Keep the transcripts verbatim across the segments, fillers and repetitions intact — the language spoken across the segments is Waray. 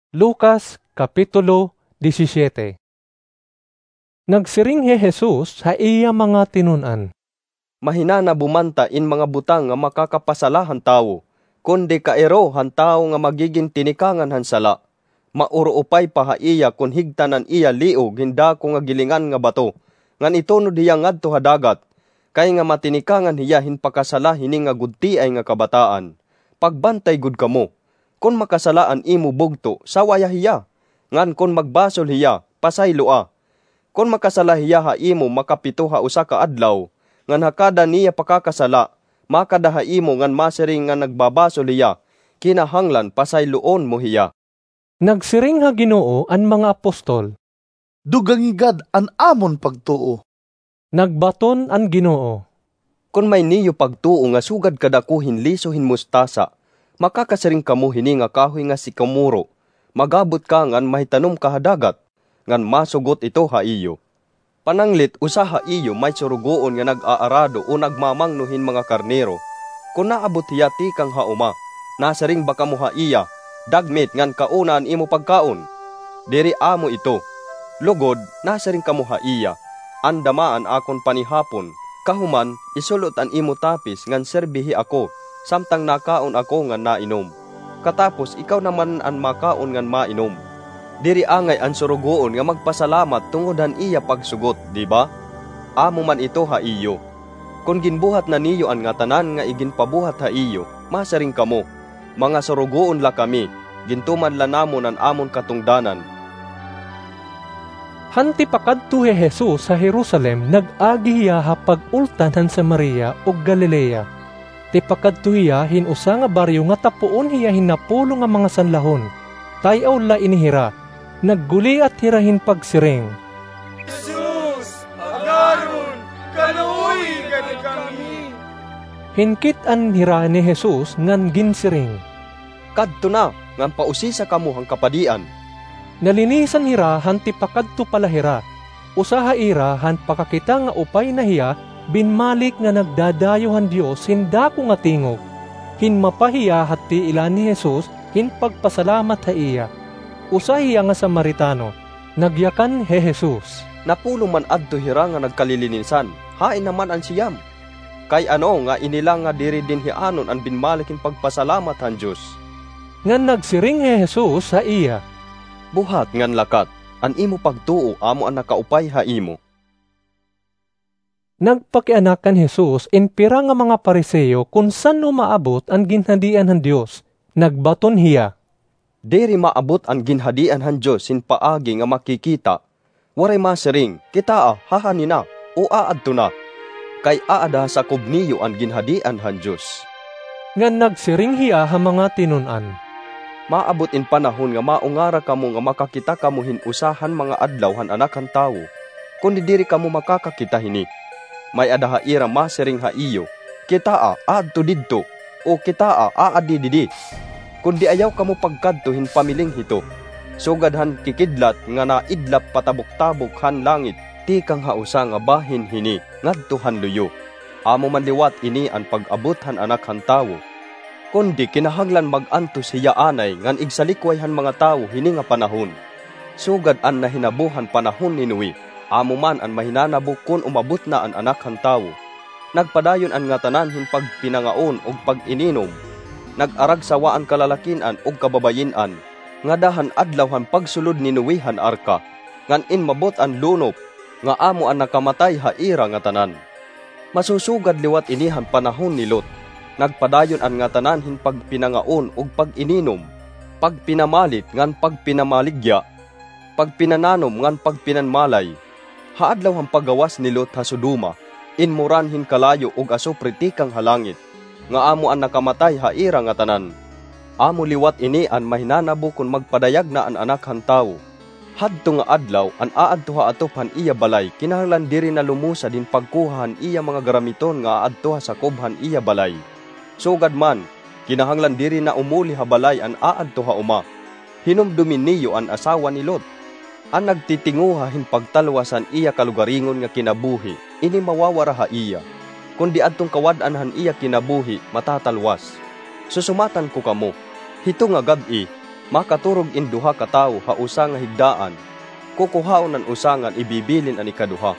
Lucas, Kapitulo disisyete. Nagsiring hi Jesus ha iya mga tinun-an, "Mahinanabo man ta in mga butang nga makakapasala han tawo, kundi kairo han tawo nga magigin tinikangan han sala. Mauruupay pa ha iya kon higtan an iya liog hin dako nga gilingan nga bato, ngan itunod hiya ngadto ha dagat, kay nga matinikangan hiya hin pakasala hini nga gudtiay nga kabataan. Pagbantay gud kamo. Kon makasala an imo bugto, sawaya hiya, ngan kon magbasol hiya, pasayloa. Kon makasala hiya ha imo makapito ha usa ka adlaw, ngan ha kada niya pakakasala, makada ha imo ngan masiring nga nagbabasol hiya, kinahanglan pasayloon mo hiya." Nagsiring ha Ginoo an mga apostol, "Dugangi gad an amon pagtuo." Nagbaton an Ginoo, "Kon may niyo pagtuo nga sugad kadako hin liso hin mustasa, makakasiring kamo hini nga kahoy nga sikomoro, 'Mag-abot ka ngan mahitanom ka ha dagat,' ngan masugot ito ha iyo. Pananglit, usa ha iyo may surugoon nga nag-aarado o nagmamangno hin mga karnero. Kon naabot hiya tikang ha uma, nasiring ba kamo ha iya, 'Dagmit ngan kauna an imo pagkaon'? Diri amo ito. Lugod, nasiring kamo ha iya, 'Andama an akon panihapon. Kahuman, isul-ot an imo tapis ngan sirbihi ako, samtang nakaon ako ngan nainom. Katapos ikaw naman an makaon ngan mainom.' Diri angay an surugoon nga magpasalamat tungod han iya pagsugot, di ba? Amo man ito ha iyo. Kon ginbuhat na niyo an ngatanan nga iginpabuhat ha iyo, masiring kamo, 'Mga surugoon la kami, gintuman la namon an amon katungdanan.'" Han tipakadto hi Jesus ha Jerusalem, nag-agi hiya ha pag-ultan han Samaria ug Galilea. Tipakadto hiya hin usa nga baryo nga tapuon hiya hin napulo nga mga sanlahon. Tay-aw la ini hira. Nagguliat hira hin pagsiring, "Jesus, agaron, kaluoyi gad kami." Hinkit-an hira ni Jesus ngan ginsiring, "Kadto na, ngan pausisa kamo han kapadian." Nalinisan hira han tipakadto pa la hira. Usa ha ira han pakakita nga upay na hiya binmalik nga nagdadayo han Dios hin dako nga tingog. Hinmapa hiya ha tiilan ni Jesus hin pagpasalamat ha iya. Usa hiya nga Samaritano. Nagyakan hi Jesus, "Napulo man adto hira nga nagkalilinisan. Hain naman an siyam? Kay ano nga ini la nga diri dinhianon an binmalik hin pagpasalamat han Dios?" Ngan nagsiring hi Jesus ha iya, "Buhat ngan lakat, an imo pagtuo amo an nakaupay ha imo." Nagpakianak kan Jesus in pira nga mga Fariseo kon san-o maabot an Ginhadian han Dios. Nagbaton hiya, "Diri maabot an Ginhadian han Dios hin paagi nga makikita. Waray masiring, 'Kitaa, haha nina,' o, 'Aadto na.' Kay aada ha sakob niyo an Ginhadian han Dios." Ngan nagsiring hiya ha mga tinun-an, "Maabot in panahon nga maungara kamo nga makakita kamo hin usa han mga adlaw han Anak han Tawo, kundi diri kamo makakakita hini. May-ada ha ira masiring ha iyo, 'Kitaa, aadto didto,' o, 'Kitaa, aadi didi.' Kundi ayaw kamo pagkadto hin pamiling hito, sugad han kikidlat nga naidlap patabok-tabok han langit tikang ha usa nga bahin hini ngadto han luyo. Amo man liwat ini an pag-abot han Anak han Tawo. Kundi kinahanglan mag-antos hiya anay ngan igsalikway han mga tawo hini nga panahon, sugad an nahinabo han panahon ni Noe, amo man an mahinanabo kon umabot na an Anak han Tawo. Nagpadayon an ngatanan hin pagpinangaon ug pag-ininom. Nag-aragsawa an kalalakin-an ug kababayin-an, ngada han adlaw han pagsulod ni Noe han arka, ngan inmabot an lunop, nga amo an nakamatay ha ira ngatanan. Masusugad liwat ini han panahon ni Lot. Nagpadayon an ngatanan hin pagpinangaon ug pag-ininom, pagpinamalit ngan pagpinamaligya, pagpinananom ngan pagpinanmalay. Ha adlaw han paggawas ni Lot ha Sodoma, inmuran hin kalayo ug asupre tikang ha langit, nga amo an nakamatay ha ira ngatanan. Amo liwat ini an mahinanabo kon magpadayag na an Anak han Tawo. Hadto nga adlaw, an aadto ha atop han iya balay kinahanglan diri na lumusad hin pagkuha han iya mga garamiton nga aadto ha sakob han iya balay, sugad man, kinahanglan diri na umuli ha balay an aadto ha uma. Hinumdomi niyo an asawa ni Lot. An nagtitinguha hin pagtalwas han iya kalugaringon nga kinabuhi, ini mawawara ha iya, kundi adton kawad-an han iya kinabuhi, matatalwas. Susumatan ko kamo, hito nga gab-i, Makaturog in duha ka tawo ha usa nga higdaan, kukuhaon an usa ngan ibibilin an ikaduha.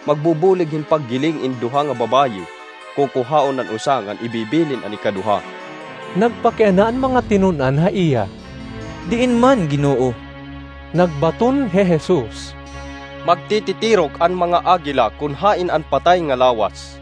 Magbubulig hin paggiling in duha nga babayi, kukuhaon an usa ngan ibibilin an ikaduha." Nagpakiana an mga tinun-an ha iya, "Diin man, Ginoo?" Nagbaton hi Jesus, "Magtititirok an mga agila kon hain an patay nga lawas.